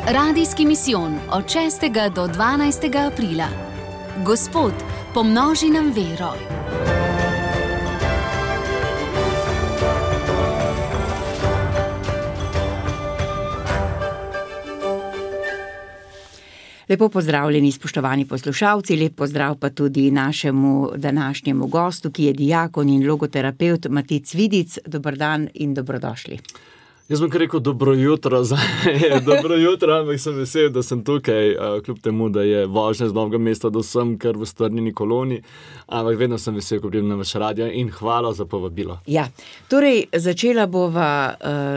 Radijski misijon od 6. do 12. aprila. Gospod, pomnoži nam vero. Lepo pozdravljeni, spoštovani poslušalci, lep pozdrav pa tudi našemu današnjemu gostu, ki je dijakon in logoterapevt Matic Vidic. Dober dan in dobrodošli. Jaz bom kar rekel dobro jutro, dobro jutro, ampak sem vesel, da sem tukaj, kljub temu, da je vožnja z Novega mesta do sem, kar v Strnjeni koloni, ampak vedno sem vesel, ko pridem na vaš radio in hvala za povabilo. Ja, torej začela bova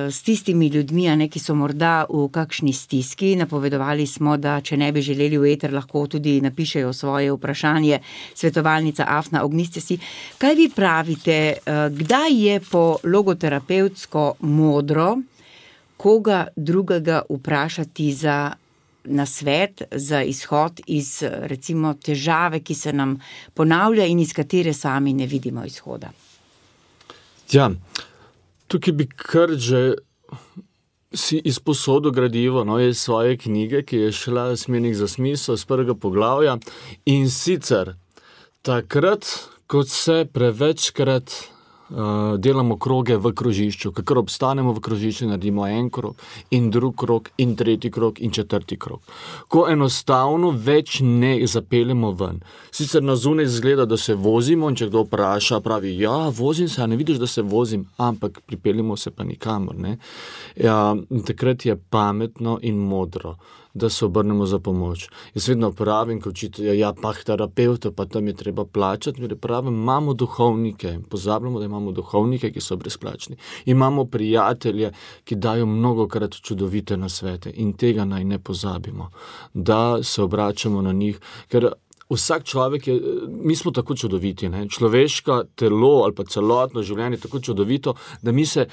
s tistimi ljudmi, ki so morda v kakšni stiski. Napovedovali smo, da če ne bi želeli v eter, lahko tudi napišejo svoje vprašanje. Svetovalnica Afna, ogniste si. Kaj vi pravite, kdaj je po logoterapevtsko modro koga drugega vprašati za nasvet, za izhod iz recimo težave, ki se nam ponavlja in iz katere sami ne vidimo izhoda? Ja, tukaj bi kar že si izposodil gradivo iz svoje knjige, ki je šla Smernik za smisel, z 1. poglavja, in sicer takrat, kot se prevečkrat delamo kroge v krožišču, kakor obstanemo v krožišču, naredimo en krog in drug krog in tretji krog in četrti krog. Ko enostavno več ne zapeljemo ven. Sicer na zunaj izgleda, da se vozimo in če kdo vpraša, pravi, ja, vozim se, a ne vidiš, da se vozim, ampak pripeljemo se pa nikamor, ne. Ja, takrat je pametno in modro, da se obrnemo za pomoč. Jaz vedno pravim, ko učitelja, terapevta, pa tam je treba plačati, pravim, imamo duhovnike, pozabljamo, da imamo duhovnike, ki so brezplačni. Imamo prijatelje, ki dajo mnogokrat čudovite nasvete in tega naj ne pozabimo, da se obračamo na njih, ker vsak človek je, mi smo tako čudoviti, ne? Človeško telo ali pa celotno življenje je tako čudovito, da mi se,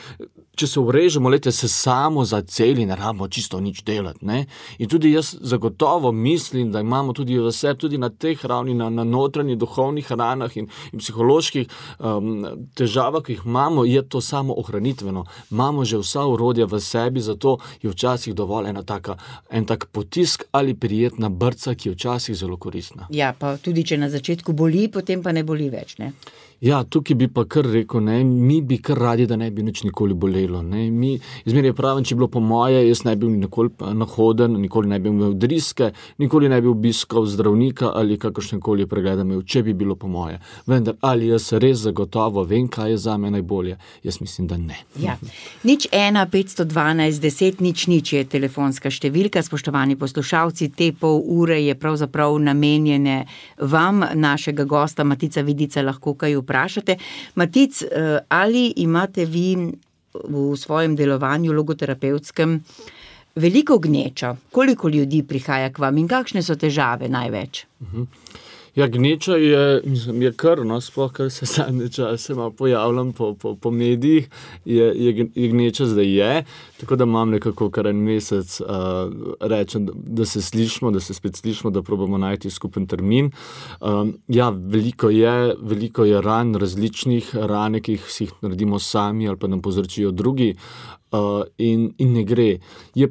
če se urežemo, se samo zaceli, ne rabimo čisto nič delati, ne? In tudi jaz zagotovo mislim, da imamo tudi v sebi, tudi na teh ravni, na notranjih duhovnih ranah in psiholoških težavah, ki jih imamo, je to samo ohranitveno. Imamo že vsa orodja v sebi, zato je včasih dovolj en tak potisk ali prijetna brca, ki je včasih zelo koristna. Ja, pa tudi če na začetku boli, potem pa ne boli več, ne? Ja, tukaj bi pa kar rekel, ne, mi bi kar radi, da ne bi nič nikoli bolelo, ne, izmeraj pravim, če bilo po moje, jaz ne bi nikoli nahoden, nikoli ne bi imel driske, nikoli ne bi obiskal zdravnika ali kakršnekoli pregleda imel, če bi bilo po moje. Vendar, ali jaz res zagotovo vem, kaj je zame najbolje? Jaz mislim, da ne. Ja, 01-512-10-0 je telefonska številka, spoštovani poslušalci, te pol ure je pravzaprav namenjene vam, našega gosta Matica Vidica, lahko kaj vprašate. Matic, ali imate vi v svojem delovanju logoterapevtskem veliko gnečo? Koliko ljudi prihaja k vam in kakšne so težave največ? Ja, gneča je kar, sploh kar se zadnje čase pojavljam po medijih, je gneča zdaj je, tako da imam nekako kar en mesec rečem, da se slišimo, da se spet slišimo, da probamo najti skupen termin. Ja, veliko je ran, različnih rane, ki si jih naredimo sami ali pa nam povzročijo drugi. In ne gre. Je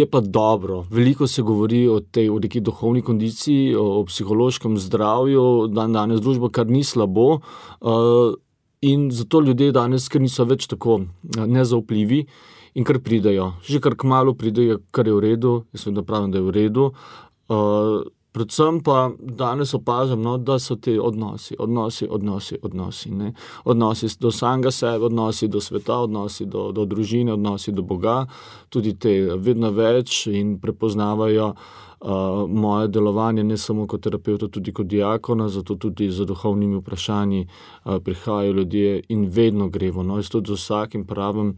pa dobro. Veliko se govori o neki duhovni kondiciji, o psihološkem zdravju, danes družba, kar ni slabo, in zato ljudje danes, ker niso več tako nezaupljivi in kar pridejo. Že kar kmalu pridejo, kar je v redu, jaz vedno pravim, da je v redu. Predvsem pa danes opažam, da so te odnosi, ne. Odnosi do samega sebe, odnosi do sveta, odnosi do družine, odnosi do Boga, tudi te vedno več in prepoznavajo moje delovanje ne samo kot terapevta, tudi kot diakona, zato tudi za duhovnimi vprašanji prihajajo ljudje in vedno gremo. Jaz tudi z vsakim pravim,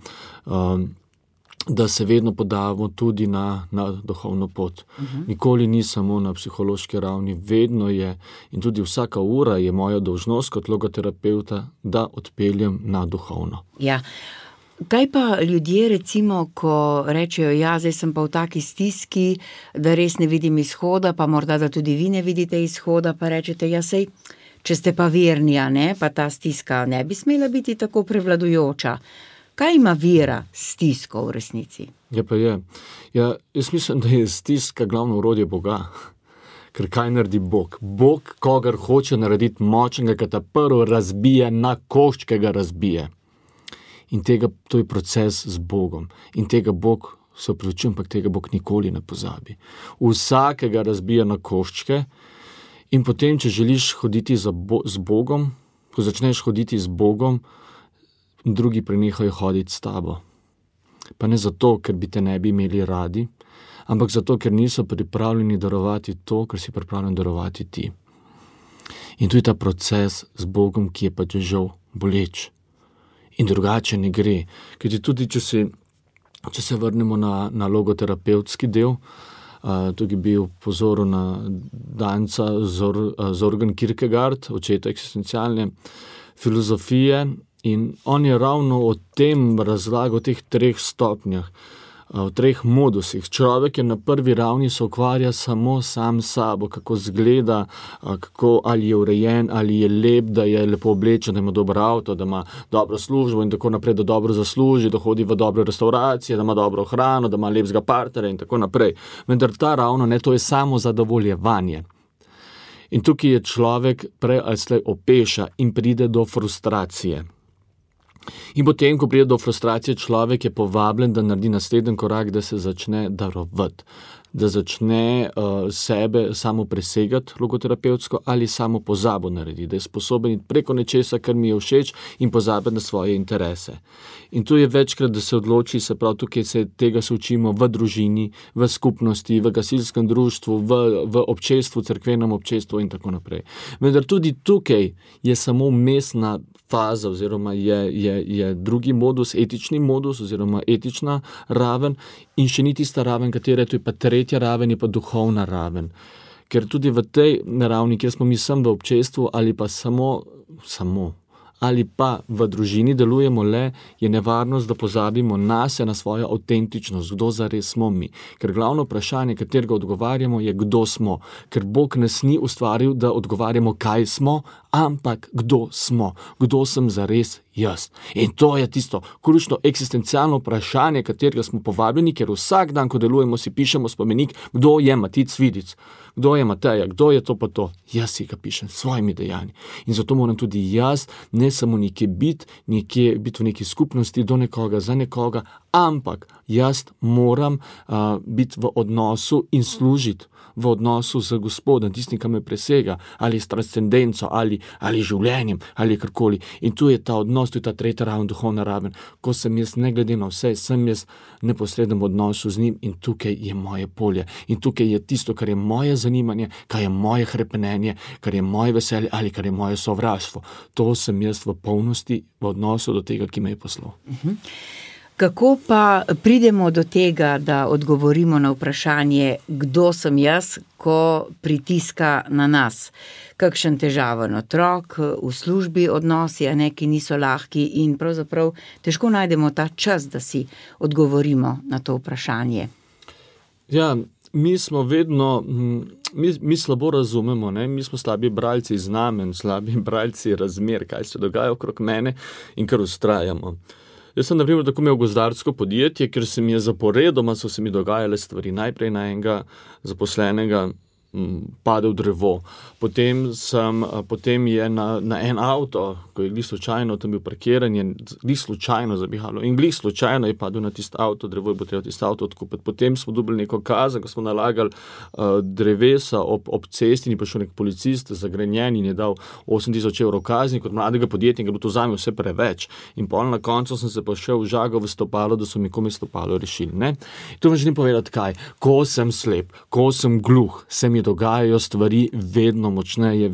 da se vedno podamo tudi na duhovno pot. Nikoli ni samo na psihološki ravni, vedno je in tudi vsaka ura je moja dolžnost kot logoterapevta, da odpeljem na duhovno. Ja. Kaj pa ljudje recimo, ko rečejo, ja, zdaj sem pa v taki stiski, da res ne vidim izhoda, pa morda, da tudi vi ne vidite izhoda, pa rečete, ja, sej, če ste pa verni, pa ta stiska ne bi smela biti tako prevladujoča. Kaj ima vera stisko v resnici? Ja, pa je. Ja, jaz mislim, da je stiska glavno orodje Boga. Ker kaj naredi Bog? Bog, kogar hoče narediti močnega, ki ta prvo razbije na koščke, ga razbije. In to je proces z Bogom. In tega Bog, se opravičujem, ampak tega Bog nikoli ne pozabi. Vsakega razbija na koščke in potem, če želiš hoditi z Bogom, ko začneš hoditi z Bogom, drugi prenehajo hoditi s tabo. Pa ne zato, ker bi te ne bi imeli radi, ampak zato, ker niso pripravljeni darovati to, kar si pripravljen darovati ti. In tu je ta proces z Bogom, ki je pa žal boleč. In drugače ne gre. Ker tudi, če se vrnemo na logoterapevtski del, tukaj bi upozoril na Danca Zorgen Kierkegaard, očeta eksistencialne filozofije, in on je ravno o tem razlagal, o teh 3 stopnjah, o 3 modusih. Človek je na prvi ravni se ukvarja samo sam s sabo, kako zgleda, ali je urejen, ali je lep, da je lepo oblečen, da ima dober avto, da ima dobro službo in tako naprej, da dobro zasluži, da hodi v dobre restauracije, da ima dobro hrano, da ima lepega partnerja in tako naprej. Vendar ta ravno, to je samo zadovoljevanje. In tukaj je človek prej ali slej opeša in pride do frustracije. In potem, ko pride do frustracije, človek je povabljen, da naredi naslednji korak, da se začne darovati, da začne sebe samo presegati logoterapevtsko ali samo pozabo narediti, da je sposoben preko nečesa, kar mi je všeč in pozabiti na svoje interese. In tu je večkrat, da se odloči, se pravi, tukaj tega se učimo v družini, v skupnosti, v gasilskem društvu, v občestvu, cerkvenem občestvu in tako naprej. Vendar tudi tukaj je samo vmesna faza oziroma je drugi modus, etični modus oziroma etična raven in še ni tista raven, katera je, to je pa tretja raven, je pa duhovna raven. Ker tudi v tej ravni, kjer smo mi sem v občestvu ali pa samo ali pa v družini delujemo le, je nevarnost, da pozabimo nase, na svojo avtentičnost, kdo zares smo mi. Ker glavno vprašanje, katerega odgovarjamo, je, kdo smo. Ker Bog nas ni ustvaril, da odgovarjamo, kaj smo, ampak kdo smo. Kdo sem zares jaz. In to je tisto ključno eksistencialno vprašanje, katerega smo povabljeni, ker vsak dan, ko delujemo, si pišemo spomenik, kdo je Matic Vidic, kdo je Mateja, kdo je to pa to. Jaz si ga pišem s svojimi dejanji. In zato moram tudi jaz ne samo nekje biti v neki skupnosti do nekoga, za nekoga, ampak jaz moram biti v odnosu in služiti v odnosu z Gospodom, tistim, ki me presega, ali s transcendenco, ali življenjem, ali karkoli. In tu je ta odnos, tu je ta tretja raven, duhovna raven, ko sem jaz, ne glede na vse, sem jaz neposrednem odnosu z njim in tukaj je moje polje. In tukaj je tisto, kar je moje zanimanje, kar je moje hrepenenje, kar je moje veselje ali kar je moje sovraštvo. To sem jaz v polnosti v odnosu do tega, ki me je poslal. Kako pa pridemo do tega, da odgovorimo na vprašanje, kdo sem jaz, ko pritiska na nas? Kakšen težaven otrok, v službi odnosi, ki niso lahki in pravzaprav težko najdemo ta čas, da si odgovorimo na to vprašanje. Ja, mi smo vedno, mi slabo razumemo, ne? Mi smo slabi bralci znamen, slabi bralci razmer, kaj se dogaja okrog mene in kar vztrajamo. Jaz sem, na primer, tako imel gozdarsko podjetje, ker se mi je zaporedoma, so se mi dogajale stvari. Najprej na enega zaposlenega padel drevo. Potem je na en avto, ko je glih slučajno tam bil parkiran, je glih slučajno zabihalo in glih slučajno je padel na tisto avto, drevo je bo treba tisto avto odkupiti. Potem smo dobili neko kazen, ko smo nalagali drevesa ob cesti in je prišel nek policist zagrenjen in je dal 8.000 evrov kazni kot mladega podjetnika, bilo to zame vse preveč. In pol na koncu sem se pa šel žagal v stopalo, da so mi komaj stopalo rešili. Ne? To vam želim povedati kaj. Ko sem slep, ko sem gluh, se mi dogajajo stvari vedno močneje,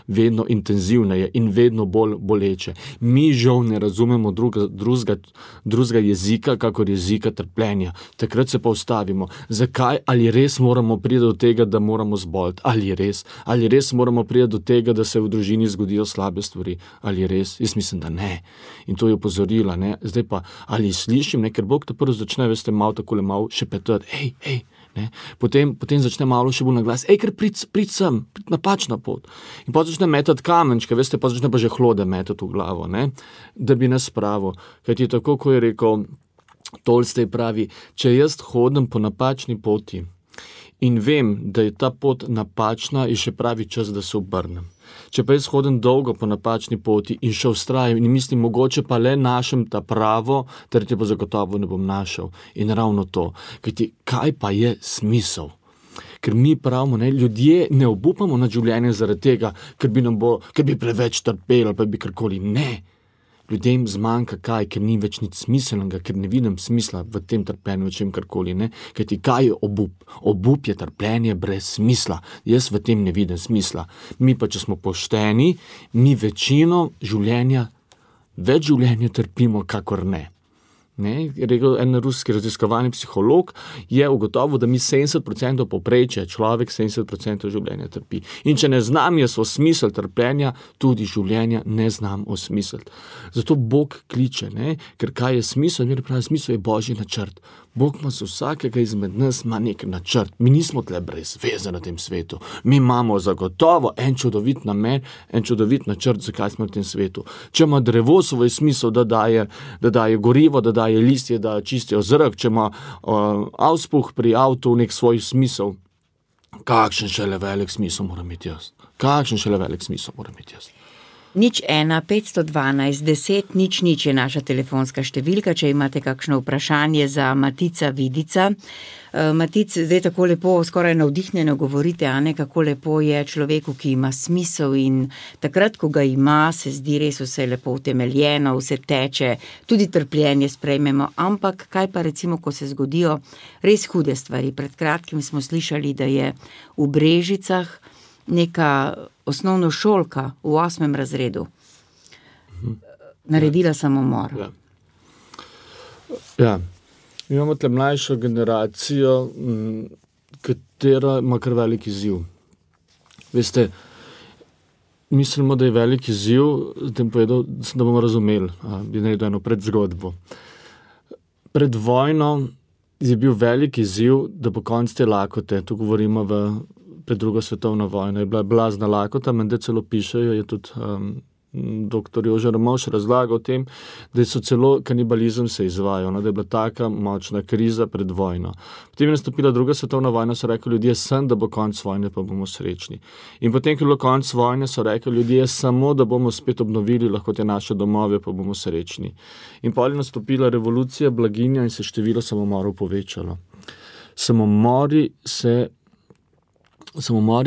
vedno intenzivneje in vedno bolj boleče. Mi žal ne razumemo drugega jezika, kakor jezika trpljenja. Takrat se pa ustavimo. Zakaj? Ali res moramo priti do tega, da moramo zboleti? Ali res moramo priti do tega, da se v družini zgodijo slabe stvari? Ali res? Jaz mislim, da ne. In to je opozorila. Ne? Zdaj pa, ali slišim, ker Bog te prvo začne, veste, malo šepetati. Hej, Ne? Potem začne malo še bolj na glas, ker prid sem, napačna pot. In potem začne metati kamenčke, veste, pa začne pa že hlode metati v glavo, ne? Da bi nas spravil. Kajti tako, ko je rekel Tolstoj pravi, če jaz hodim po napačni poti in vem, da je ta pot napačna, je še pravi čas, da se obrnem. Če pa jaz hodim dolgo po napačni poti in še vztrajam in mislim, mogoče pa le našem ta pravo, tretje pa zagotovo ne bom našel. In ravno to, kajti kaj pa je smisel? Ker mi pravimo, ne, ljudje ne obupamo nad življenjem zaradi tega, ker bi preveč trpeli ali pa bi karkoli. Ne. Ljudem zmanjka kaj, ker ni več nič smiselnega, ker ne vidim smisla v tem trpljenju, v čem karkoli, ne. Kajti kaj je obup? Obup je trpljenje brez smisla. Jaz v tem ne vidim smisla. Mi pa, če smo pošteni, mi več življenja trpimo, kakor ne. Ne, je rekel en ruski raziskovalni psiholog, je ugotovil, da mi 70% povprečja, človek 70% življenja trpi. In če ne znam jaz osmisliti trpljenja, tudi življenja ne znam osmisliti. Zato Bog kliče, ne, ker kaj je smisel? Smisel je Božji načrt. Bog ima za vsakega izmed nas ima nek načrt. Mi nismo tle brez veze na tem svetu. Mi imamo zagotovo en čudovit namen, en čudovit načrt, zakaj smo na tem svetu. Če ima drevo svoj smisel, da daje gorivo, da daje listje, da čistijo zrak, če ima auspuh pri avtu nek svoj smisel, kakšen šele velik smisel moram imeti jaz. 01 512 10 00 je naša telefonska številka, če imate kakšno vprašanje za Matica Vidica. Matic, zdaj tako lepo, skoraj navdihnjeno govorite, Ane, kako lepo je človeku, ki ima smisel in takrat, ko ga ima, se zdi res vse lepo utemeljeno, vse teče, tudi trpljenje sprejmemo, ampak kaj pa recimo, ko se zgodijo res hude stvari. Pred kratkim smo slišali, da je v Brežicah neka osnovnošolka v 8. razredu naredila samomor. Ja. Imamo tle mlajšo generacijo, katera ima kar velik izziv. Veste, mislimo, da je velik izziv, da bomo razumeli, bi naredil eno predzgodbo. Pred vojno je bil velik izziv, da po koncu te lakote, tu govorimo pred drugo svetovno vojno, je bila blazna lakota, menda celo pišejo, je tudi dr. Jože Ramovš razlaga o tem, da so celo kanibalizem se izvajal, da je bila taka močna kriza pred vojno. Potem je nastopila druga svetovna vojna, so rekli ljudje, sem, da bo konc vojne, pa bomo srečni. In potem, ko je bilo konc vojne, so rekli ljudje, samo, da bomo spet obnovili lahko te naše domove, pa bomo srečni. In potem je nastopila revolucija, blaginja in se število samomorov povečalo. Samomori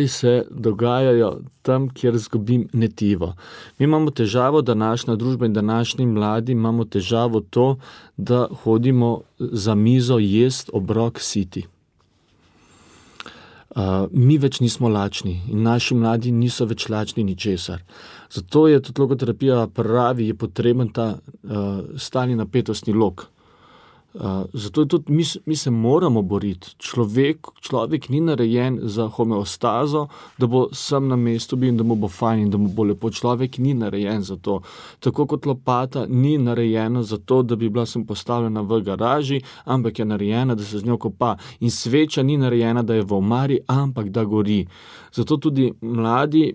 se dogajajo tam, kjer zgubim netivo. Mi imamo težavo, današnja družba in današnji mladi imamo težavo to, da hodimo za mizo jest obrok siti. Mi več nismo lačni in naši mladi niso več lačni ničesar. Zato je tudi logoterapija pravi, je potreben ta stalni napetostni lok. Zato je tudi mi se moramo boriti. Človek ni narejen za homeostazo, da bo sam na mestu bil in da mu bo fajn in da mu bo lepo. Človek ni narejen za to. Tako kot lopata ni narejena za to, da bi bila sem postavljena v garaži, ampak je narejena, da se z njo kopa. In sveča ni narejena, da je v omari, ampak da gori. Zato tudi mladi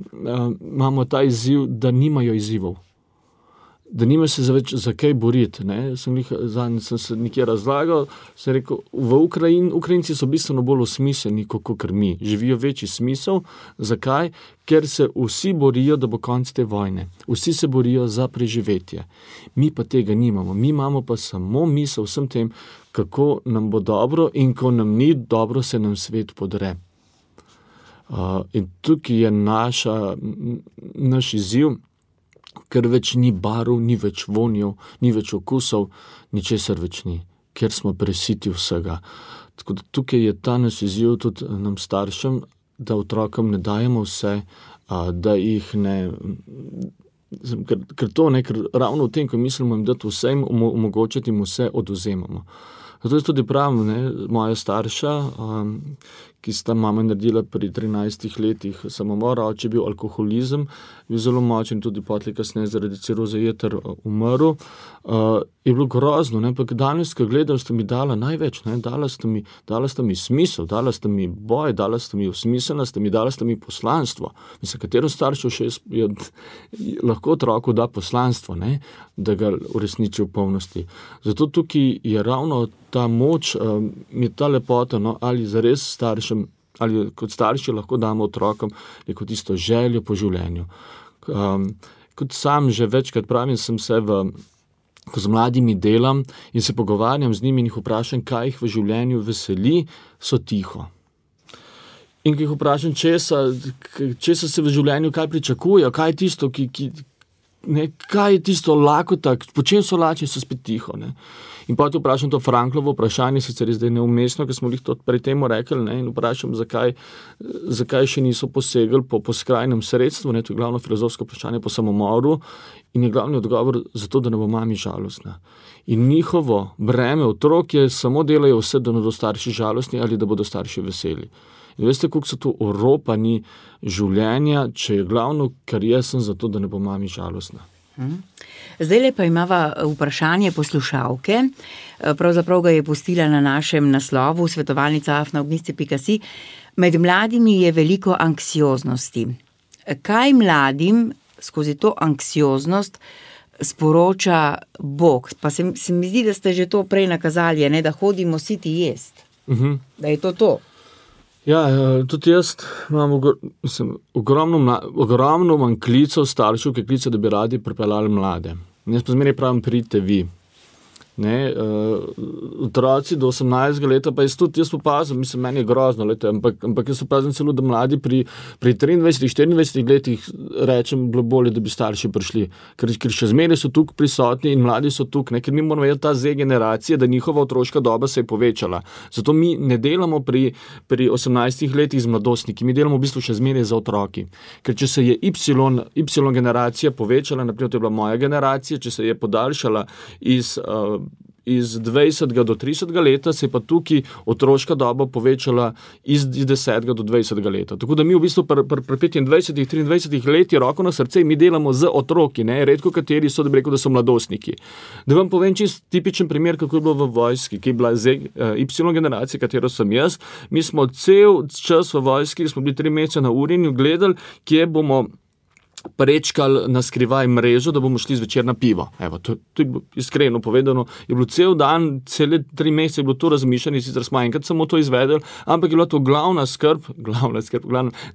imamo ta izziv, da nimajo izzivov. Da nima se več za kaj boriti. Sem se nekje razlagal, sem rekel, Ukrajinci so bistveno bolj osmisleni, kot mi. Živijo večji smisel. Zakaj? Ker se vsi borijo, da bo konc te vojne. Vsi se borijo za preživetje. Mi pa tega nimamo. Mi imamo pa samo misel vsem tem, kako nam bo dobro in ko nam ni dobro, se nam svet podre. In tukaj je naš izziv, ker več ni barv, ni več vonjev, ni več okusov, ničesar več ni, ker smo presiti vsega. Tako da tukaj je ta naš izziv tudi nam staršem, da otrokom ne dajemo vse, da jih ne... Ker ravno v tem, ko mislimo jim dati vse, omogočiti jim vse, odvzemamo. Zato jaz tudi pravim, moja starša, ki sta mama naredila pri 13 letih samomor, oče je bil alkoholizem, bil zelo močen, tudi potlej kasneje zaradi ciroze jeter umrl. Je bilo grozno, ne? Ampak danes, ko gledam, ste mi dala največ, ne? Dala ste mi smisel, dala ste mi boj, dala ste mi usmiselnost, dala ste mi poslanstvo. Mislim, katero staršev še lahko otroku da poslanstvo, ne? Da ga uresniči v polnosti. Zato tukaj je ravno ta moč, mi je ta lepota, no? Ali zares staršem, ali kot starši lahko damo otrokom neko tisto željo po življenju. Kot sam že večkrat pravim, ko z mladimi delam in se pogovarjam z njimi in jih vprašam, kaj jih v življenju veseli, so tiho. In ko jih vprašam, česa se v življenju, kaj pričakujejo, kaj je tisto, kaj je tisto lakota, po čem so lačni, so spet tiho. Ne? In potem vprašam to Franklovo vprašanje, sicer je zdaj neumestno, ker smo jih to pred temu rekli, ne? In vprašam, zakaj še niso posegli po skrajnem sredstvu, ne? To je glavno filozofsko vprašanje po samomoru, in je glavni odgovor zato, da ne bo mami žalostna. In njihovo breme otrok je samo delajo vse, da ne bodo starši žalostni ali da bodo starši veseli. In veste, koliko so to oropani življenja, če je glavno, kar jaz sem zato, da ne bo mami žalostna. Zdaj pa imava vprašanje poslušalke, pravzaprav ga je pustila na našem naslovu svetovalnica@ognisci.si. Med mladimi je veliko anksioznosti. Kaj mladim skozi to anksioznost sporoča Bog? Pa se mi zdi, da ste že to prej nakazali, ne, da hodimo siti jest. Da je to. Ja, tudi jaz imam ogromno manj klicev staršev, ki klicejo, da bi radi pripeljali mlade. Jaz pa zmeraj pravim, pridite vi. Ne, otroci do 18 leta, pa jaz opazim, mislim, meni je grozno, ampak jaz opazim celo, da mladi pri 23-24 letih rečem, bilo bolje, da bi starši prišli, ker še zmeraj so tukaj prisotni in mladi so tukaj, ker mi moramo vedeti ta Z generacije, da njihova otroška doba se je povečala. Zato mi ne delamo pri 18 letih z mladostniki, mi delamo v bistvu še zmeraj za otroki. Ker če se je Y generacija povečala, naprimer, to je bila moja generacija, če se je podaljšala iz 20 do 30 leta, se je pa tukaj otroška doba povečala iz 10 do 20 leta. Tako da mi v bistvu pri 25-23 leti roko na srce, mi delamo z otroki, ne? Redko kateri so, da bi rekel, da so mladostniki. Da vam povem čist tipičen primer, kako je bilo v vojski, ki je bila Y generacija, katero sem jaz. Mi smo cel čas v vojski, smo bili 3 mesece na Urinju, gledali, kje bomo prečkali na skrivaj mrežo, da bomo šli zvečer na pivo. Evo, to je iskreno povedano, je bilo cel dan, cele 3 mesece je bilo to razmišljanje, sicer smo enkrat samo to izvedeli, ampak je bila to glavna skrb,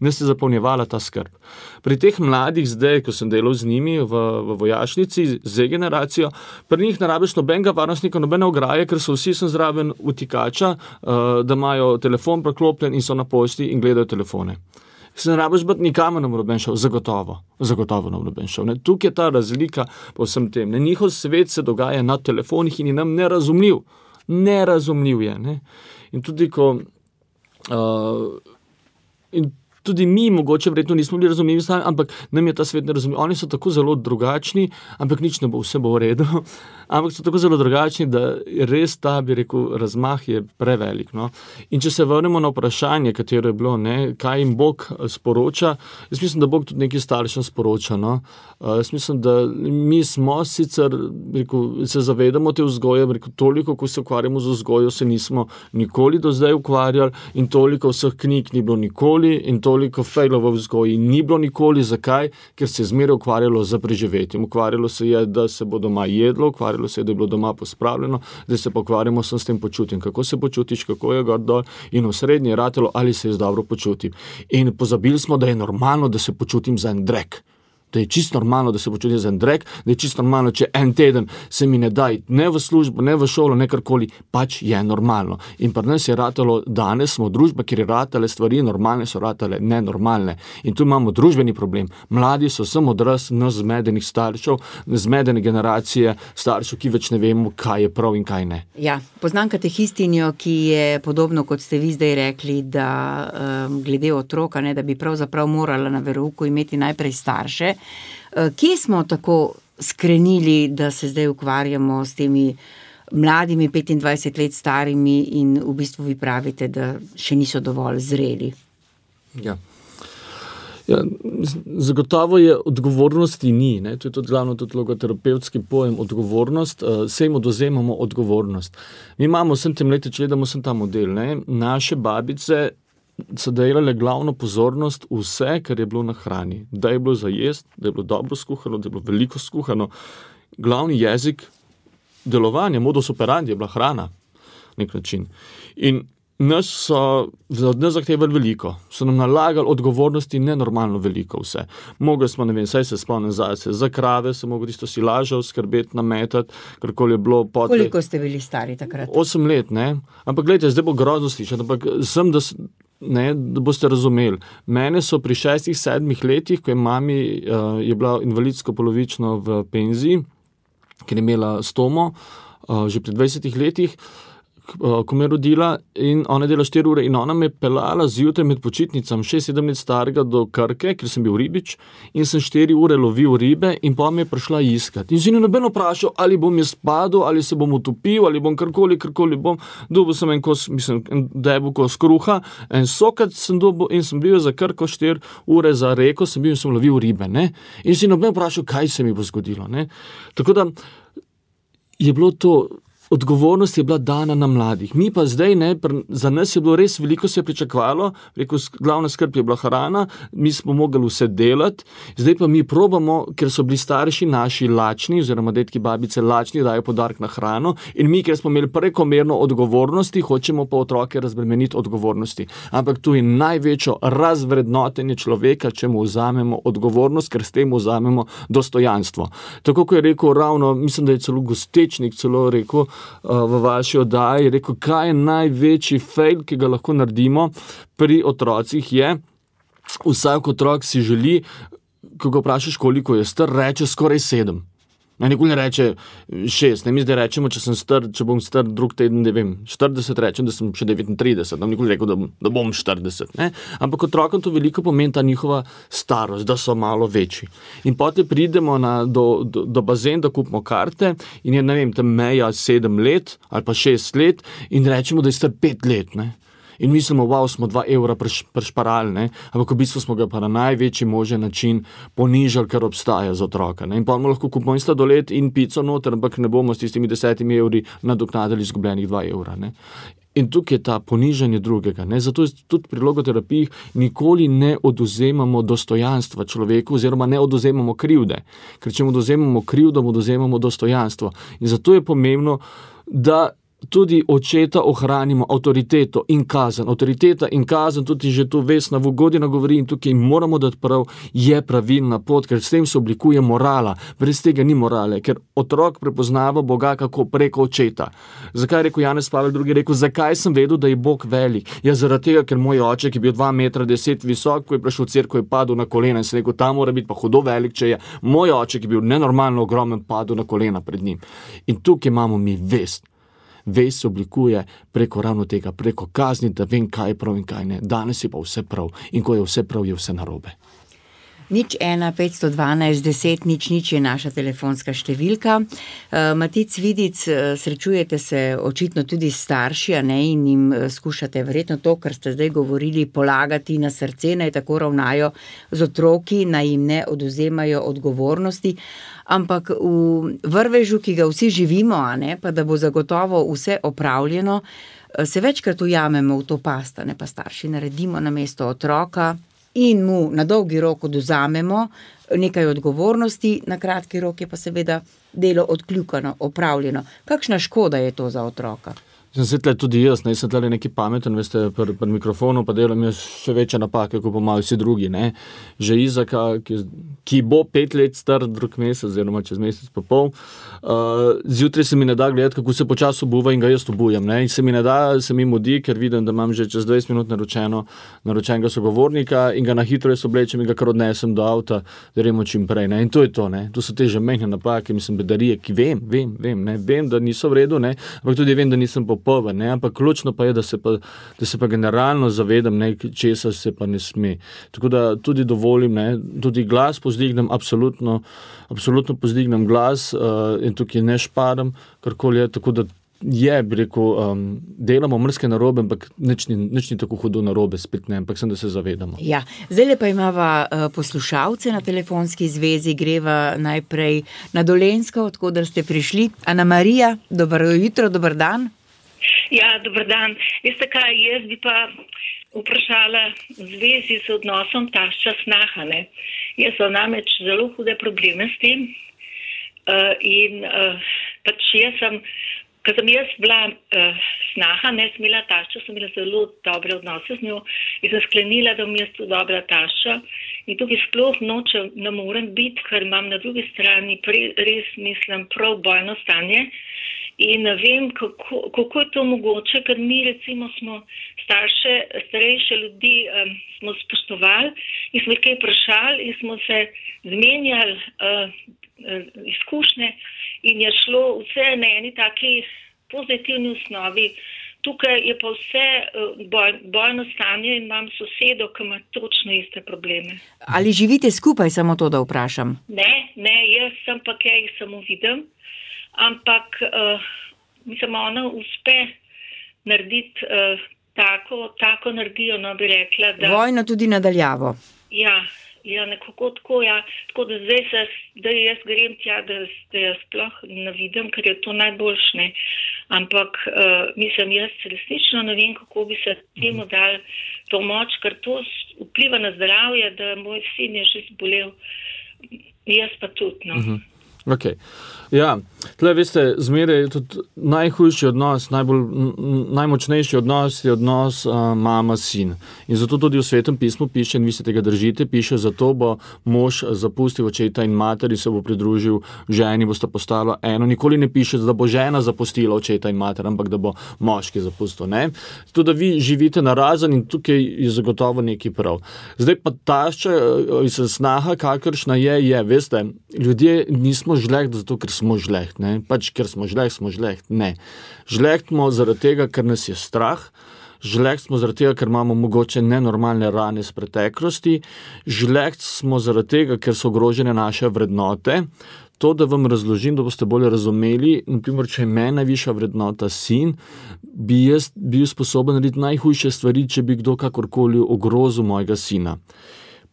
ne se zapolnjevala ta skrb. Pri teh mladih zdaj, ko sem delal z njimi v vojašnici, Z generacijo, pri njih ne rabiš nobenega varnostnika, nobene ograje, ker so vsi sem zraven utikača, da imajo telefon preklopljen in so na pošti in gledajo telefone. Se ne rabiš biti nikamor na noben šel, zagotovo na noben šel. Tukaj je ta razlika po vsem tem. Njihov svet se dogaja na telefonih in je nam nerazumljiv je. Ne? In tudi tudi mi mogoče verjetno nismo bili razumljivi, ampak nam je ta svet nerazumljiv. Oni so tako zelo drugačni, ampak nič ne bo, vse bo v redu. Ampak so tako zelo drugačni, da res ta, bi rekel, razmah je prevelik. No? In če se vrnemo na vprašanje, katero je bilo, ne, kaj jim Bog sporoča, jaz mislim, da Bog tudi nekaj staršem sporoča. No? Jaz mislim, da mi smo sicer, rekel, se zavedamo te vzgoje, rekel, toliko, ko se ukvarjamo z vzgojo, se nismo nikoli do zdaj ukvarjali in toliko vseh knjig ni bilo nikoli in toliko fejlov v vzgoji ni bilo nikoli. Zakaj? Ker se je zmeraj ukvarjalo z preživetjem. Ukvarjalo se je, da se bo doma jedlo, ukvarjalo se je, da je bilo doma pospravljeno, da se pa ukvarjamo s tem počutjem. Kako se počutiš, kako je gor dol in v srednji je ratelo, ali se jaz dobro počutim. In pozabili smo, da je normalno, da se počutim za en drek. Da je čisto normalno, da se počutim za en drek, da je čisto normalno, če en teden se mi ne da ne v službo, ne v šolo, ne karkoli, pač je normalno. In pri nas je ratalo, danes smo družba, kjer je ratale stvari, normalne so ratale nenormalne. In tu imamo družbeni problem. Mladi so samo odraz nas zmedenih staršev, zmedene generacije staršev, ki več ne vemo, kaj je prav in kaj ne. Ja, poznam katehistinjo, ki je podobno, kot ste vi zdaj rekli, da glede otroka, ne, da bi pravzaprav morala na verouku imeti najprej starše. Kje smo tako skrenili, da se zdaj ukvarjamo s temi mladimi, 25 let starimi in v bistvu vi pravite, da še niso dovolj zreli. Ja. Ja, zagotovo je odgovornosti ni, ne? To je tudi glavno tudi logoterapevtski pojem odgovornost, se jim odvzemamo odgovornost. Mi imamo vsem tem leti, če gledamo vsem ta model, ne? Naše babice so delale glavno pozornost vse, kar je bilo na hrani. Da je bilo za jesti, da je bilo dobro skuhano, da je bilo veliko skuhano. Glavni jezik delovanja, modus operandi je bila hrana, nek način. In nas so od nas zahtevali veliko, so nam nalagali odgovornosti nenormalno veliko vse. Mogli smo, ne vem, saj se spomnim zase, za krave se mogli tisto silažev skrbeti, nametati, karkoli je bilo potem. Koliko ste bili stari takrat? 8 let, ne. Ampak gledajte, zdaj bo grozno slišati, ampak sem, da boste razumeli. Mene so pri 6-7 letih, ko je mami je bila invalidsko polovično v penziji, ker je imela stomo, že pri 20 letih, ko me je rodila in ona dela 4 ure in ona me je pelala zjutraj med počitnicami 6-7 let starega do Krke, ker sem bil ribič in sem 4 ure lovil ribe in pa me je prišla iskati. In si ni noben vprašal, ali bom jaz padel, ali se bom utopil, ali bom karkoli bom. Dobil sem en debel kos kruha, en sokat sem dobil in sem bil za Krko 4 ure za reko, sem bil in sem lovil ribe, ne. In si noben vprašal, kaj se mi bo zgodilo, ne. Tako da je bilo to, odgovornost je bila dana na mladih. Mi pa zdaj, ne, za nas je bilo res veliko, se je pričakovalo, rekel, glavna skrb je bila hrana, mi smo mogli vse delati, zdaj pa mi probamo, ker so bili starši naši lačni, oziroma dedki, babice lačni, dajo podarek na hrano in mi, ker smo imeli prekomerno odgovornosti, hočemo pa otroke razbremeniti odgovornosti. Ampak tu je največjo razvrednotenje človeka, če mu vzamemo odgovornost, ker s tem vzamemo dostojanstvo. Tako, ko je rekel ravno, mislim, da je celo Gostečnik celo rekel, v vaši oddaji, rekel, kaj je največji fail, ki ga lahko naredimo pri otrocih je, vsak otrok si želi, ko ga vprašaš, koliko je star, reče skoraj 7. Nikoli ne reče 6, ne, mi zdaj rečemo, če bom star drug teden, ne vem, 40, rečem, da sem še 39, nam nikoli rekel, da bom 40, ne. Ampak otrokom to veliko pomeni ta njihova starost, da so malo večji. In potem pridemo do bazen, da kupimo karte in je, ne vem, tam meja 7 let ali pa 6 let in rečemo, da je star 5 let, ne. In mislimo, wow, smo 2 evra prešparali, ne? Ampak v bistvu smo ga pa na največji možen način ponižali, kar obstaja za otroka. Ne? In pa lahko kupimo in sladoled in pico noter, ampak ne bomo s tistimi 10 evri nadoknadili izgubljenih 2 evra. Ne? In tukaj je ta ponižanje drugega. Ne? Zato tudi pri logoterapiji nikoli ne odvzemamo dostojanstva človeku oziroma ne odvzemamo krivde. Ker če mu odvzemamo krivdo, mu odvzemamo dostojanstvo. In zato je pomembno, da tudi očeta ohranimo avtoriteto in kazen. Avtoriteta in kazen, tudi že tu Vesna Vugodina govori in tukaj moramo dati prav, je pravilna pot, ker s tem se oblikuje morala. Brez tega ni morale, ker otrok prepoznava Boga kako preko očeta. Zakaj je rekel Janez Pavel II, rekel, zakaj sem vedel, da je Bog velik? Ja, zaradi tega, ker moj oče, ki je bil 2,10 m visok, ko je prišel v cerkev, je padel na kolena in se rekel, ta mora biti pa hudo velik, če je moj oče, ki je bil nenormalno ogromen, padel na kolena pred njim. In tukaj imamo mi vest. Vest se oblikuje preko ravno tega, preko kazni, da vem, kaj je prav in kaj ne. Danes je pa vse prav in ko je vse prav, je vse narobe. 01-512-10-0 je naša telefonska številka. Matic Vidic, srečujete se očitno tudi s starši, a ne, in jim skušate verjetno to, kar ste zdaj govorili, polagati na srce, naj tako ravnajo z otroki, naj jim ne odvzemajo odgovornosti. Ampak v vrvežu, ki ga vsi živimo, a ne, pa da bo zagotovo vse opravljeno, se večkrat ujamemo v to past, ne, pa starši naredimo namesto otroka in mu na dolgi rok odvzamemo nekaj odgovornosti, na kratki rok je pa seveda delo odkljukano, opravljeno. Kakšna škoda je to za otroka? Sem se tudi jaz, ne, sem tle neki pameten, veste, pri mikrofonu pa delam jaz še večje napake, kot pa malo vsi drugi, ne. Že Izaka, ki bo 5 let star drug mesec, oziroma čez mesec pa pol, zjutraj se mi ne da gledati, kako se počasi obuva in ga jaz obujam, ne. In se mi ne da, se mi mudi, ker vidim, da imam že čez 20 minut naročenega sogovornika in ga na hitro jaz oblečem in ga kar odnesem do avta, da gremo čim prej, ne. In to je to, ne. To so te že mehne napake, mislim, bedarije, ki vem, ne. Vem, da niso v redu, ne. Ampak tudi vem, da nisem ne, ampak ključno pa je, da se pa generalno zavedam, ne, česa se pa ne sme. Tako da tudi dovolim, ne, tudi glas pozdignem, absolutno pozdignem glas in tukaj ne šparam, karkoli je, tako da je, bi rekel, delamo mrske narobe, ampak nič ni tako hudo narobe, spet ne, ampak sem, da se zavedamo. Ja, zdaj pa imava poslušalce na telefonski zvezi, greva najprej na Dolenjsko, odkoder ste prišli. Ana Marija, dobro jutro, dober dan. Ja, dober dan. Veste kaj, jaz bi pa vprašala v zvezi z odnosom tašča snaha, ne. Jaz sem namreč zelo hude probleme s tem in pač ko sem jaz bila snaha, ne, sem imela tašča, sem imela zelo dobre odnose z njo in sem sklenila, da bom jaz tu dobra tašča in tukaj sploh ne morem biti, ker imam na drugi strani res, mislim, prav bojno stanje in ne vem, kako je to mogoče, ker mi recimo smo starejše ljudi smo spoštovali in smo jih kaj vprašali in smo se zmenjali izkušnje in je šlo vse na eni taki pozitivni osnovi. Tukaj je pa vse bojno stanje in imam sosedo, ki ima točno iste probleme. Ali živite skupaj, samo to, da vprašam? Ne, jaz sem pa kaj jih samo vidim, ampak mislim, ona uspe narediti tako energijo, no bi rekla, da... Vojno tudi nadaljavo. Ja, nekako tako, ja. Tako da zdaj da jaz grem tja, da jaz sploh ne vidim, ker je to najboljše, ne. Ampak mislim, jaz resnično ne vem, kako bi se temu dal pomoč, ker to vpliva na zdravje, da moj sin je že zbolel, jaz pa tudi, no. Ok. Ja, tle veste, zmeraj je tudi najhujši odnos, najmočnejši odnos je odnos mama-sin. In zato tudi v Svetem pismu piše, in vi se tega držite, piše, zato bo mož zapustil očeta in mater in se bo pridružil ženi, bosta postala eno. Nikoli ne piše, da bo žena zapustila očeta in mater, ampak da bo moški zapustil, ne. Zato, da vi živite narazen in tukaj je zagotovo nekaj prav. Zdaj pa tašča, snaha, kakršna je, veste, ljudje nismo žleht zato, ker smo žleht, ne. Pač, ker smo žleht, ne. Žlehtmo zaradi tega, ker nas je strah, žleht smo zaradi tega, ker imamo mogoče nenormalne rane z preteklosti, žleht smo zaradi tega, ker so ogrožene naše vrednote. To, da vam razložim, da boste bolje razumeli, naprimer, če je meni najvišja vrednota sin, bi jaz bil sposoben narediti najhujše stvari, če bi kdo kakorkoli ogrozil mojega sina.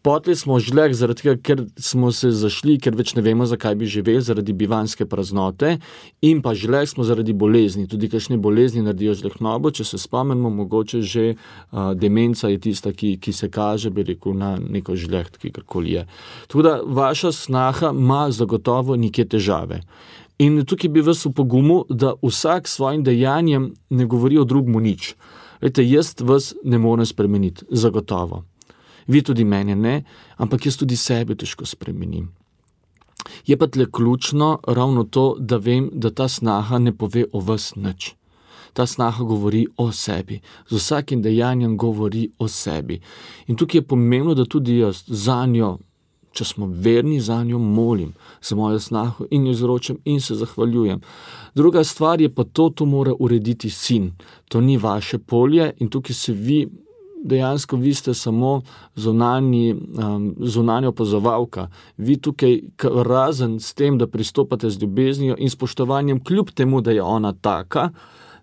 Potlej smo žleh zaradi tega, ker smo se zašli, ker več ne vemo, zakaj bi živeli, zaradi bivanjske praznote, in pa žleh smo zaradi bolezni. Tudi kakšne bolezni naredijo žlehnobo, če se spomnimo, mogoče že demenca je tista, ki se kaže, bi rekel, na neko žleht, kakorkoli je. Tako da vaša snaha ima zagotovo neke težave. In tukaj bi vas upogumil, da vsak svojim dejanjem ne govori o drugmu nič. Vete, jaz vas ne morem spremeniti, zagotovo. Vi tudi mene ne, ampak jaz tudi sebe težko spremenim. Je pa tle ključno ravno to, da vem, da ta snaha ne pove o vas nič. Ta snaha govori o sebi. Z vsakim dejanjem govori o sebi. In tukaj je pomembno, da tudi jaz za njo, če smo verni, za njo molim, za mojo snaho in jo izročam in se zahvaljujem. Druga stvar je pa to mora urediti sin. To ni vaše polje in tukaj se dejansko vi ste samo zunanja opazovalka. Vi tukaj razen s tem, da pristopate z ljubeznijo in spoštovanjem, kljub temu, da je ona taka,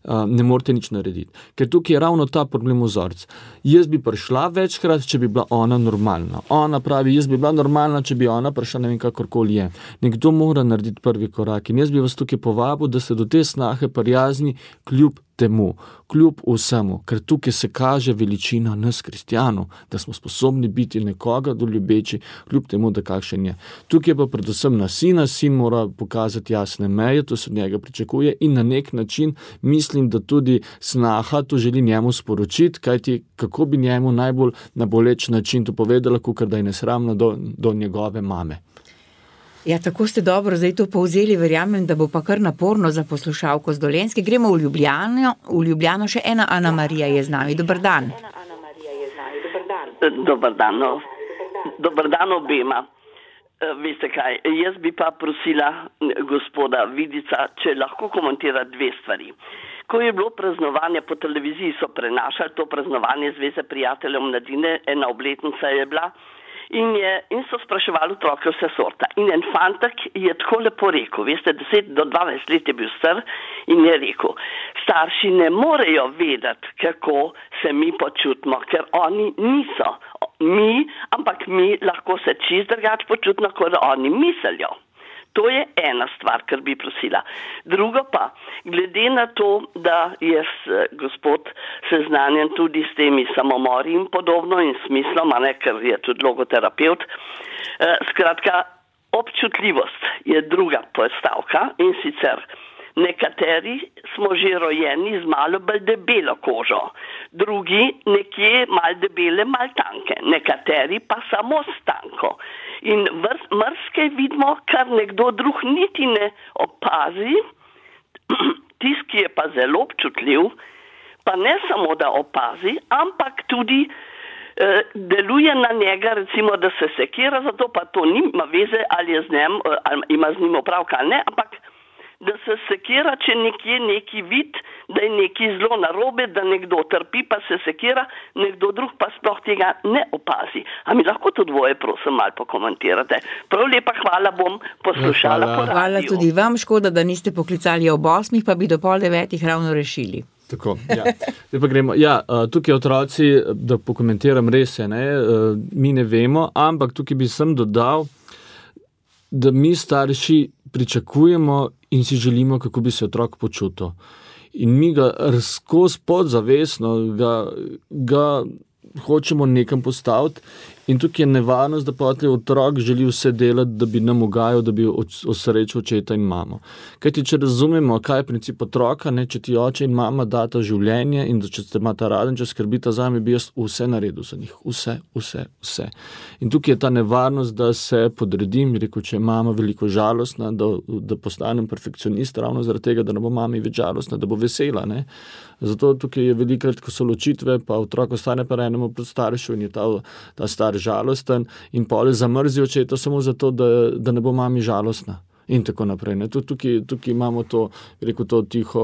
ne morete nič narediti. Ker tukaj je ravno ta problem vzorc. Jaz bi prišla večkrat, če bi bila ona normalna. Ona pravi, jaz bi bila normalna, če bi ona prišla, ne vem, kakorkoli je. Nekdo mora narediti prvi korak in jaz bi vas tukaj povabil, da ste do te snahe prijazni kljub temu, kljub vsemu, ker tukaj se kaže veličina nas, kristjanov, da smo sposobni biti nekoga doljubeči, kljub temu, da kakšen je. Tukaj pa predvsem na sina, sin mora pokazati jasne meje, to se od njega pričakuje in na nek način mislim, da tudi snaha to želi njemu sporočiti, kajti kako bi njemu najbolj na boleč način to povedala, kakor da je nesramno do njegove mame. Ja, tako ste dobro zdaj to povzeli, verjamem, da bo pa kar naporno za poslušalko z Dolenjske. Gremo v Ljubljano, še ena Ana Marija je z nami. Dober dan. Dober dan obema. Veste kaj, jaz bi pa prosila gospoda Vidica, če lahko komentira dve stvari. Ko je bilo praznovanje po televiziji, so prenašali to praznovanje Zveze prijateljev mladine, ena obletnica je bila in so spraševali otroke vse sorta. In en fantak je tako lepo rekel, veste, 10 do 12 let je bil star in je rekel, starši ne morejo vedeti, kako se mi počutimo, ker oni niso mi, ampak mi lahko se čist drugače počutimo, kot oni mislijo. To je ena stvar, kar bi prosila. Drugo pa, glede na to, da je gospod seznanjen tudi s temi samomori in podobno in smislom, ker je tudi logoterapeut, skratka, občutljivost je druga postavka in sicer nekateri smo že rojeni z malo bolj debelo kožo, drugi nekje malo debele, malo tanke, nekateri pa samo s tanko. In mrskaj vidimo, kar nekdo drug niti ne opazi, tisti, ki je pa zelo občutljiv, pa ne samo, da opazi, ampak tudi deluje na njega, recimo, da se sekira, zato pa to nima veze, ali je z njim, ali ima z njim opravka ali ne, ampak da se sekira, če nekje neki vid, da je neki zelo narobe, da nekdo trpi, pa se sekira, nekdo drug pa sploh tega ne opazi. A mi lahko to dvoje, prosim, malo pokomentirate. Prav lepa hvala, bom poslušala po radiju. Hvala tudi vam, škoda, da niste poklicali ob 8, pa bi do 8:30 ravno rešili. Tako, ja. Zdaj pa gremo. Ja, tukaj otroci, da pokomentiram res je, mi ne vemo, ampak tukaj bi sem dodal, da mi starši pričakujemo in si želimo, kako bi se otrok počutil. In mi ga skozi podzavestno ga hočemo nekam postaviti in tukaj je nevarnost, da potem otrok želi vse delati, da bi nam ugajal, da bi osrečil očeta in mamo. Kajti, če razumemo, kaj je princip otroka, če ti oče in mama data življenje in da če ste imata raden, če skrbita zame, bi jaz vse naredil za njih. Vse. In tukaj je ta nevarnost, da se podredim, rekel, če je mama veliko žalostna, da postanem perfekcionist ravno zaradi tega, da ne bo mami več žalostna, da bo vesela. Zato tukaj je velikrat, ko so ločitve, pa otrok ostane pa enemu pred staršu in je ta star žalosten in pole zamrzi očeta samo zato, da ne bo mami žalostna in tako naprej. Tukaj imamo to tiho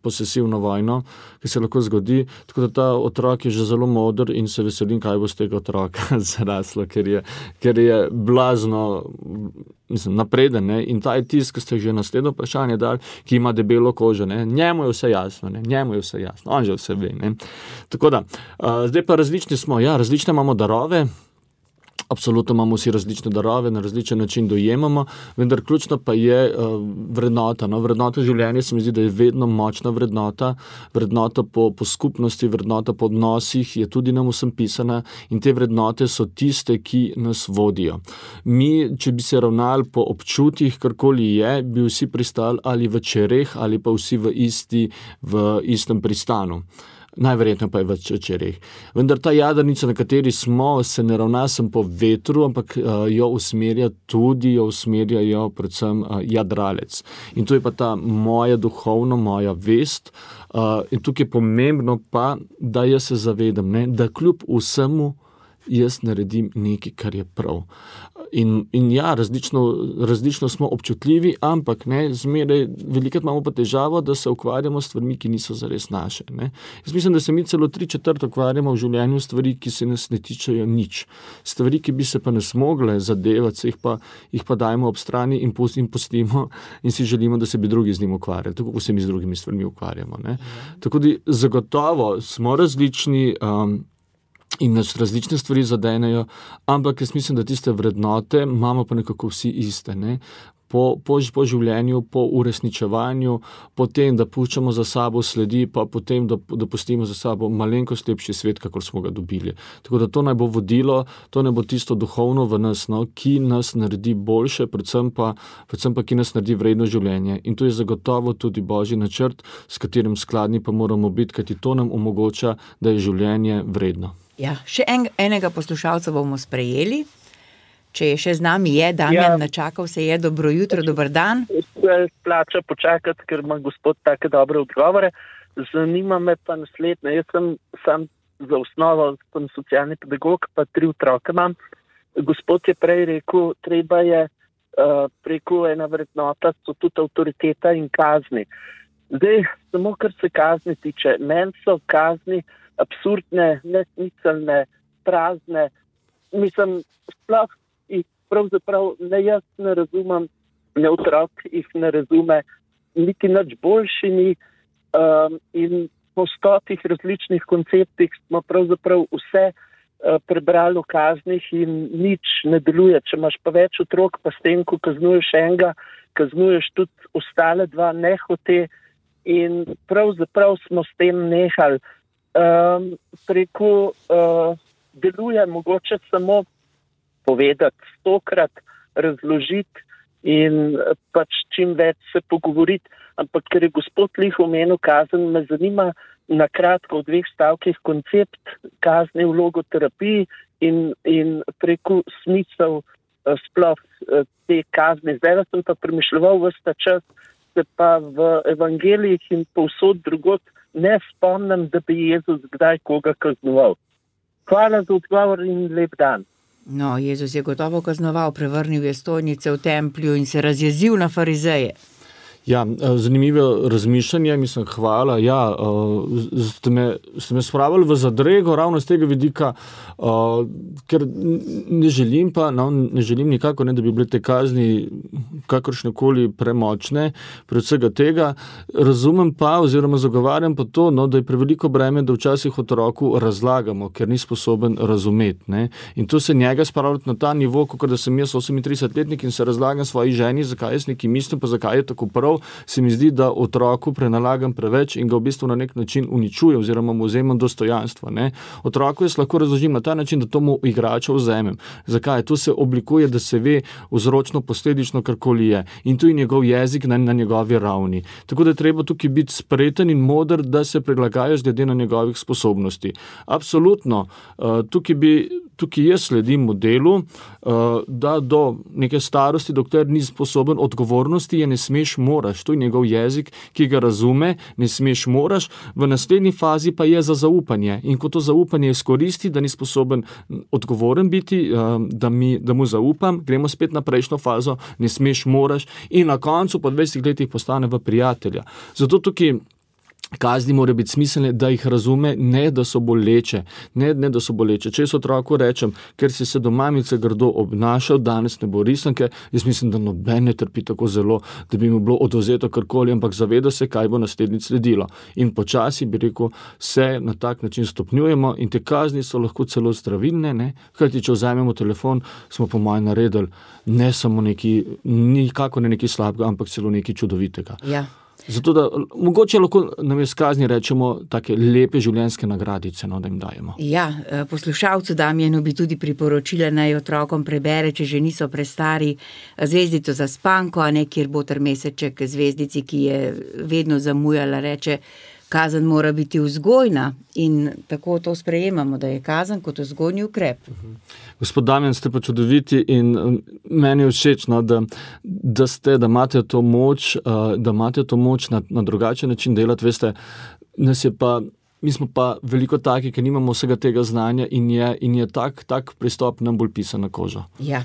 posesivno vojno, ki se lahko zgodi, tako da ta otrok je že zelo moder in se veselim, kaj bo z tega otroka zaraslo, ker je blazno napreden, in ta je tisti, ki ste že naslednjo vprašanje dali, ki ima debelo kožo, njemu je vse jasno, on že vse ve. Tako da, zdaj pa različni smo, različne imamo darove, absolutno imamo vsi različne darove, na različen način dojemamo, vendar ključno pa je vrednota. Vrednota življenja se mi zdi, da je vedno močna vrednota po skupnosti, vrednota po odnosih je tudi nam vsem pisana in te vrednote so tiste, ki nas vodijo. Mi, če bi se ravnali po občutih, karkoli je, bi vsi pristali ali v čereh ali pa vsi v istem pristanu. Najverjetno pa je v čereh. Vendar ta jadrnica, na kateri smo, se ne ravna sem po vetru, ampak jo usmerjajo predvsem jadralec. In to je pa ta moja duhovna, moja vest. In tukaj je pomembno pa, da jaz se zavedam, da kljub vsemu jaz naredim nekaj, kar je prav. In različno smo občutljivi, ampak zmeraj velikrat imamo pa težavo, da se ukvarjamo s stvarmi, ki niso zares naše. Jaz mislim, da se mi celo 3/4 ukvarjamo v življenju stvari, ki se nas ne tičejo nič. Stvari, ki bi se pa nas mogle zadevati, jih pa dajemo ob strani in pustimo in si želimo, da se bi drugi z njim ukvarjali, tako kot se mi z drugimi stvarmi ukvarjamo. Tako da zagotovo smo različni, in nas različne stvari zadenejo, ampak jaz mislim, da tiste vrednote imamo pa nekako vsi iste. Po življenju, po uresničevanju, po tem, da puščamo za sabo sledi, pa potem, da pustimo za sabo malenkost lepši svet, kakor smo ga dobili. Tako da to naj bo vodilo, to naj bo tisto duhovno v nas, ki nas naredi boljše, predvsem pa ki nas naredi vredno življenje. In to je zagotovo tudi Božji načrt, s katerim skladni pa moramo biti, kajti to nam omogoča, da je življenje vredno. Ja, še enega poslušalca bomo sprejeli. Če je še z nami, Damjan, načakal se je. Dobro jutro, dober dan. Plača počakati, ker ima gospod take dobre odgovore. Zanima me pa naslednje. Jaz sem sam za osnovo, sem socialni pedagog, pa 3 otroke imam. Gospod je prej rekel, treba je preko ena vrednota, so tudi avtoriteta in kazni. Zdaj, samo kar se kazni tiče, meni so kazni absurdne, nesmiselne, prazne. mislim, sploh jih pravzaprav ne jaz ne razumem, ne otrok jih ne razume, niti nič boljšimi in po 100 različnih konceptih smo pravzaprav vse prebrali v kaznih in nič ne deluje. Če imaš pa več otrok, pa s tem, ko kaznuješ enega, kaznuješ tudi ostale dva nehote in pravzaprav smo s tem nehali. Deluje mogoče samo povedati 100-krat, razložiti in pač čim več se pogovoriti, ampak ker je gospod Lih omenil kazen, me zanima na kratko v 2 stavkih koncept kazni v logoterapiji in preko smisel sploh te kazni. Zdaj sem pa premišljeval ves ta čas, se pa v evangelijih in povsod drugod ne spomnim, da bi Jezus kdaj koga kaznoval. Hvala za odgovor in lep dan. No, Jezus je gotovo kaznoval, prevrnil je stojnice v templju in se razjezil na farizeje. Ja, zanimivo razmišljanje, mislim, hvala. Ja, ste me spravili v zadrego ravno z tega vidika, ker ne želim nikako, da bi bile te kazni kakršnekoli premočne, predvsega tega. Razumem pa, oziroma zagovarjam pa to, da je preveliko breme, da včasih otroku razlagamo, ker ni sposoben razumeti. Ne? In to se njega spravljati na ta nivo, kot da sem jaz 38-letnik in se razlagam svoji ženi, zakaj jaz nekaj mislim, pa zakaj je tako prav. Se mi zdi, da otroku prenalagam preveč in ga v bistvu na nek način uničujem oziroma mu vzemam dostojanstvo. Ne? Otroku jaz lahko razložim na ta način, da to mu igrača vzemem. Zakaj? To se oblikuje, da se ve vzročno, posledično, karkoli je. In tu je njegov jezik na njegovi ravni. Tako da je treba tukaj biti spreten in moder, da se prilagajaš glede na njegovih sposobnosti. Absolutno. Tukaj jaz sledim modelu, da do neke starosti, dokler ni sposoben odgovornosti, je ne smeš, moraš. To je njegov jezik, ki ga razume, ne smeš, moraš. V naslednji fazi pa je za zaupanje. In ko to zaupanje izkoristi, da ni sposoben odgovoren biti, da mu zaupam, gremo spet na prejšnjo fazo, ne smeš, moraš. In na koncu po 20 letih postane v prijatelja. Zato tukaj kazni morajo biti smiselne, da jih razume, ne da so boleče. Ne da so boleče. Če jaz otroku rečem, ker si se do mamice grdo obnašal, danes ne bo risanke, jaz mislim, da noben ne trpi tako zelo, da bi mu bilo odvzeto karkoli, ampak zaveda se, kaj bo naslednjič sledilo. In počasi, bi rekel, se na tak način stopnjujemo in te kazni so lahko celo zdravilne, ne? Kajti, če vzamemo telefon, smo po mojem naredili ne samo nikako ne nekaj slabega, ampak celo nekaj čudovitega. Ja. Zato, da mogoče lahko namesto kazni rečemo take lepe življenjske nagradice, da jim dajemo. Ja, poslušalcu Damjanu bi tudi priporočila, naj otrokom prebere, če že niso prestari, Zvezdico za spanko, a ne kjer Boter Meseček zvezdici, ki je vedno zamujala, reče, kazen mora biti vzgojna in tako to sprejemamo, da je kazen kot vzgojni ukrep. Gospod Damjan, ste pa čudoviti in meni je všeč, da imate to moč na drugačen način delati. Veste, mi smo pa veliko taki, ki nimamo vsega tega znanja in je tak pristop nam bolj pisan na kožo. Ja.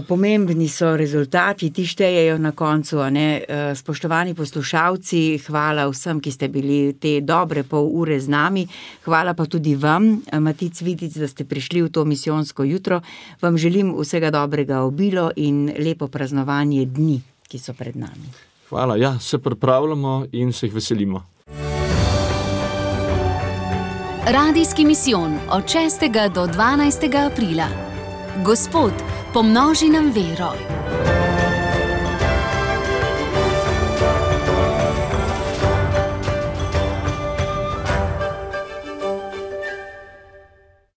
Pomembni so rezultati, ti štejejo na koncu, a ne? Spoštovani poslušalci, hvala vsem, ki ste bili te dobre pol ure z nami. Hvala pa tudi vam, Matic Vitic, da ste prišli v to misijonsko jutro. Vam želim vsega dobrega obilo in lepo praznovanje dni, ki so pred nami. Hvala, ja, se pripravljamo in se jih veselimo. Radijski misijon od 6. do 12. aprila. Gospod, pomnoži nam vero.